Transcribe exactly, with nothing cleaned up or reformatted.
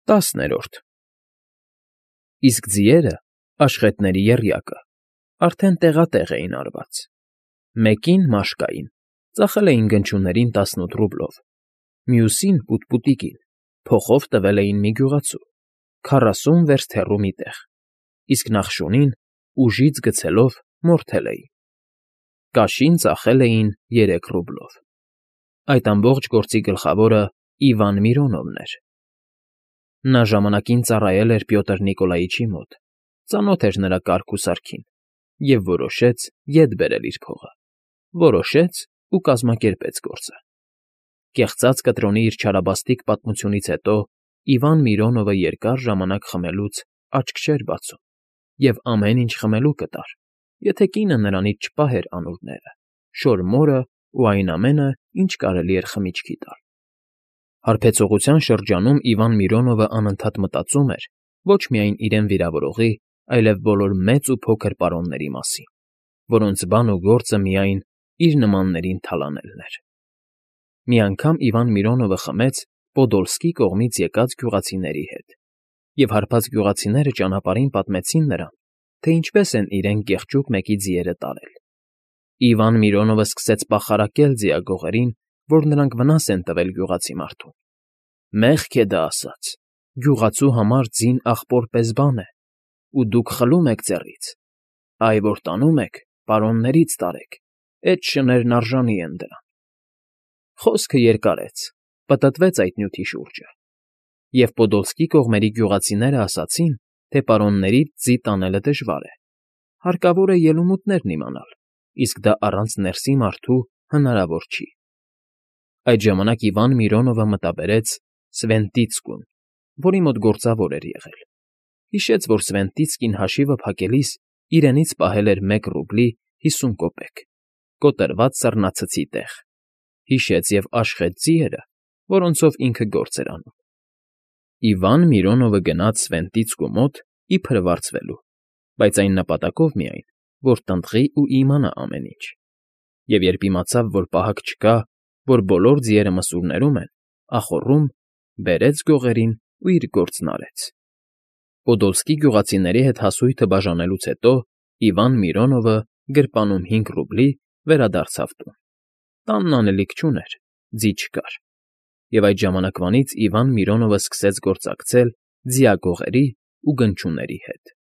ՏԱՍՆԵՐՈՐԴ Իսկ ձիերը, աշխետների եռյակը, արդեն տեղատեղ էին արված. մեկին՝ մաշկային, ծախել էին գնչուներին տասնութ ռուբլով, մյուսին՝ պուտպուտիկին, փոխով տվել էին մի գյուղացու, քառասուն վերստ հեռու մի տեղ, իսկ նախշունին, ուժից գցելով, մորթել էին. կաշին ծախել էին երեք ռուբլով։ Այդ ամբողջ գործի գլխավորը Իվան Միրոնովն էր։ Նա ժամանակին ծառայել էր Պյոտր Նիկոլայիչի մոտ, ծանոթ էր նրա կարգ ու սարքին և որոշեց ետ բերել իր փողը, որոշեց ու կազմակերպեց գործը։ Կեղծած կտրոնի իր չարաբաստիկ պատմությունից հետո Իվան Միրոնովը երկար ժամանակ խմելուց աչք չէր բացում և ամեն ինչ խմելու կտար, եթե կինը նրանից չպահեր անուռները, շոր մորն ու այն ամենը, ինչ կարելի էր խմիչքի տալ։ Հարբեցողության շրջանում Իվան Միրոնովը անընդհատ մտածում էր ոչ միայն իրեն վիրավորողի, այլև բոլոր մեծ ու փոքր պարոնների մասին, որոնց բան ու գործը միայն իր նմաններին թալանելն էր։ Մի անգամ Իվան Միրոնովը խմեց Պոդոլսկի կողմից եկած գյուղացիների հետ, և հարբած գյուղացիները ճանապարհին պատմեցին նրան, թե ինչպես են իրեն կեղճուկ մեկի ձիերը տարել։ Իվան Միրոնովը սկսեց պախարակել ձիագողերին, որ նրանք վնաս են տվել գյուղացի մարդուն։ «Մեղք է դա ասած. գյուղացու համար ձին ախպոր պես բան է, ու դուք խլում եք ձեռից, այ որ տանում եք, պարոններից տարեք, էդ շներն արժանի են դրան»։ Խոսքը երկարեց, պտտվեց այդ նյութի շուրջը, և Պոդոլսկի կողմերի գյուղացիները ասացին, թե պարոններից ձի տանելը դժվար է, հարկավոր է ելումուտներն իմանալ, իսկ դա առանց ներսի մարդու հնարավոր չի։ Այդ ժամանակ Իվան Միրոնովը մտաբերեց Սվենտիցկուն, որի մոտ գործավոր էր եղել, հիշեց, որ Սվենտիցկին հաշիվը փակելիս իրենից պահել էր մեկ ռուբլի հիսուն կոպեկ, կոտրված սառնացցի տեղ, հիշեց և աշխատ ձիերը, որոնցով ինքը գործ էր անում։ Իվան Միրոնովը գնաց Սվենտիցկու մոտ իբր վարձվելու, բայց այն նպատակով միայն, որ տնտղի ու իմանա ամեն ինչ, և երբ իմացավ, որ պահակ չկա, որ բոլոր ձիերը մսուրներում են, ախոռում, բերեց գողերին ու իր գործն արեց։ Պոդոլսկի գյուղացիների հետ հասույթը բաժանելուց հետո Իվան Միրոնովը գրպանում հինգ ռուբլի վերադարձավ տուն։ Տանն անելիք չուներ, ձի չկար, և այդ ժամանակվանից Իվան Միրոնովը սկսեց գործակցել ձիագողերի ու գնչուների հետ։